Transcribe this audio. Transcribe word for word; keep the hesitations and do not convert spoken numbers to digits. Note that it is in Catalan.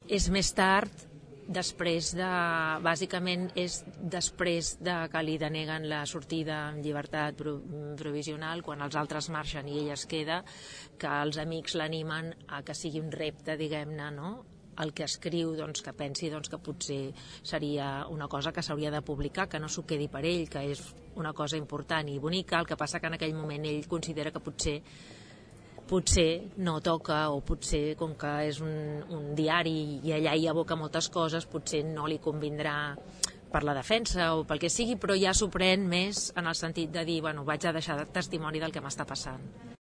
és més tard, després de... bàsicament és després de que li deneguen la sortida en llibertat provisional, quan els altres marxen i ella es queda, que els amics l'animen a que sigui un repte, diguem-ne, no?, el que escriu, doncs, que pensi doncs, que potser seria una cosa que s'hauria de publicar, que no s'ho quedi per ell, que és una cosa important i bonica. El que passa que en aquell moment ell considera que potser potser no toca, o potser, com que és un, un diari i allà hi aboca moltes coses, potser no li convindrà per la defensa o pel que sigui, però ja s'ho pren més en el sentit de dir, bueno, vaig a deixar testimoni del que m'està passant.